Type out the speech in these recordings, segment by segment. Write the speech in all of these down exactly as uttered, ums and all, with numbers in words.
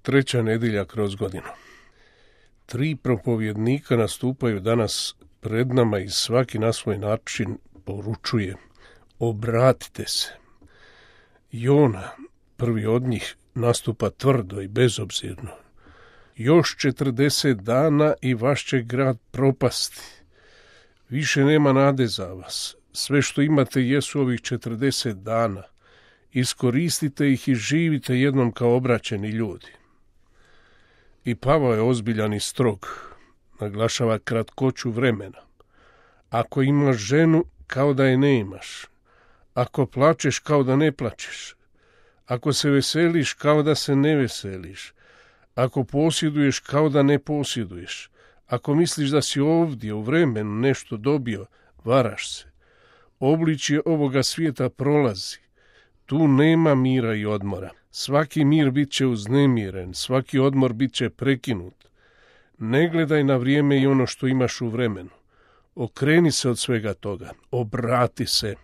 Treća nedjelja kroz godinu. Tri propovjednika nastupaju danas pred nama i svaki na svoj način poručuje: obratite se. Jona, prvi od njih, nastupa tvrdo i bezobzirno. Još četrdeset dana i vaš će grad propasti. Više nema nade za vas. Sve što imate jesu ovih četrdeset dana. Iskoristite ih i živite jednom kao obraćeni ljudi. I Pavao je ozbiljan i strog. Naglašava kratkoću vremena. Ako imaš ženu, kao da je ne imaš. Ako plačeš, kao da ne plačeš. Ako se veseliš, kao da se ne veseliš. Ako posjeduješ, kao da ne posjeduješ. Ako misliš da si ovdje u vremenu nešto dobio, varaš se. Obličje ovoga svijeta prolazi. Tu nema mira i odmora. Svaki mir bit će uznemiren, svaki odmor bit će prekinut. Ne gledaj na vrijeme i ono što imaš u vremenu. Okreni se od svega toga. Obrati se.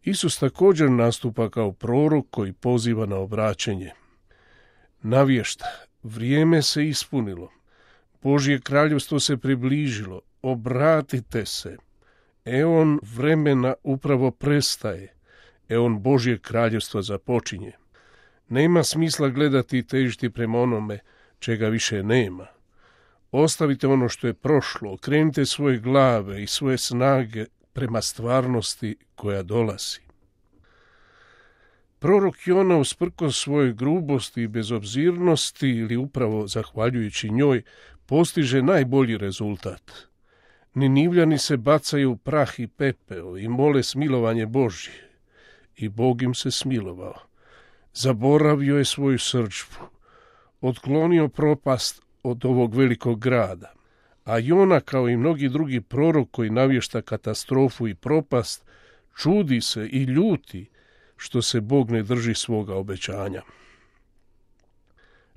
Isus također nastupa kao prorok koji poziva na obraćenje. Navješta, vrijeme se ispunilo. Božje kraljevstvo se približilo. Obratite se. Eon vremena upravo prestaje. Eon Božje kraljevstva započinje. Nema smisla gledati i težiti prema onome čega više nema. Ostavite ono što je prošlo, okrenite svoje glave i svoje snage prema stvarnosti koja dolazi. Prorok Jona, usprkos svojoj grubosti i bezobzirnosti, ili upravo zahvaljujući njoj, postiže najbolji rezultat. Ninivljani se bacaju u prah i pepeo i mole smilovanje Božje. I Bog im se smilovao. Zaboravio je svoju srdžbu. Otklonio propast od ovog velikog grada. A Jona, kao i mnogi drugi prorok koji navješta katastrofu i propast, čudi se i ljuti što se Bog ne drži svoga obećanja.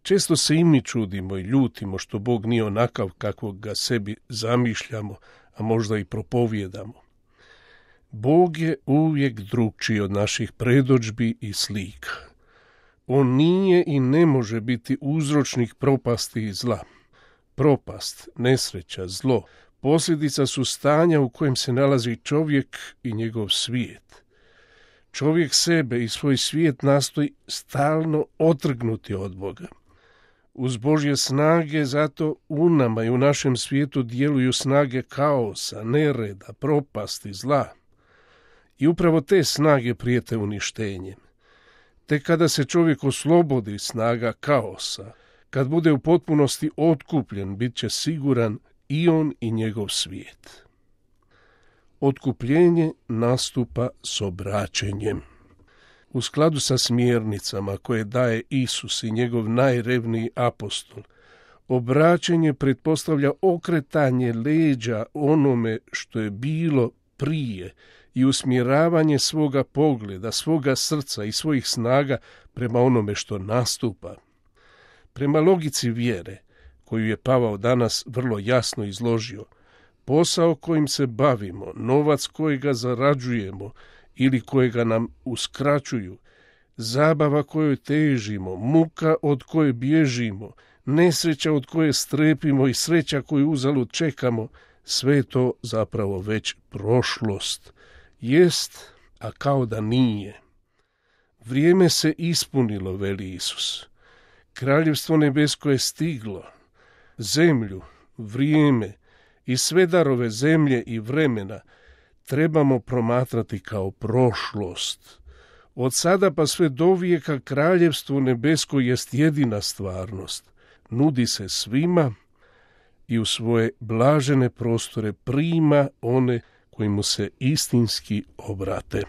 Često se i mi čudimo i ljutimo što Bog nije onakav kakvog ga sebi zamišljamo, a možda i propovijedamo. Bog je uvijek drukčiji od naših predodžbi i slika. On nije i ne može biti uzročnik propasti i zla. Propast, nesreća, zlo, posljedica su stanja u kojem se nalazi čovjek i njegov svijet. Čovjek sebe i svoj svijet nastoji stalno otrgnuti od Boga. Uz Božje snage zato u nama i u našem svijetu djeluju snage kaosa, nereda, propasti, zla. I upravo te snage prijete uništenjem. Tek kada se čovjek oslobodi snaga kaosa, kad bude u potpunosti otkupljen, bit će siguran i on i njegov svijet. Otkupljenje nastupa s obraćenjem. U skladu sa smjernicama koje daje Isus i njegov najrevniji apostol, obraćenje pretpostavlja okretanje leđa onome što je bilo prije i usmjeravanje svoga pogleda, svoga srca i svojih snaga prema onome što nastupa. Prema logici vjere, koju je Pavao danas vrlo jasno izložio, posao kojim se bavimo, novac kojega zarađujemo ili kojega nam uskraćuju, zabava kojoj težimo, muka od koje bježimo, nesreća od koje strepimo i sreća koju uzalud čekamo, sve to zapravo već prošlost. Jest, a kao da nije. Vrijeme se ispunilo, veli Isus. Kraljevstvo nebesko je stiglo. Zemlju, vrijeme i sve darove zemlje i vremena trebamo promatrati kao prošlost. Od sada pa sve do vijeka kraljevstvo nebesko jest jedina stvarnost. Nudi se svima i u svoje blažene prostore prima one koji mu se istinski obrate.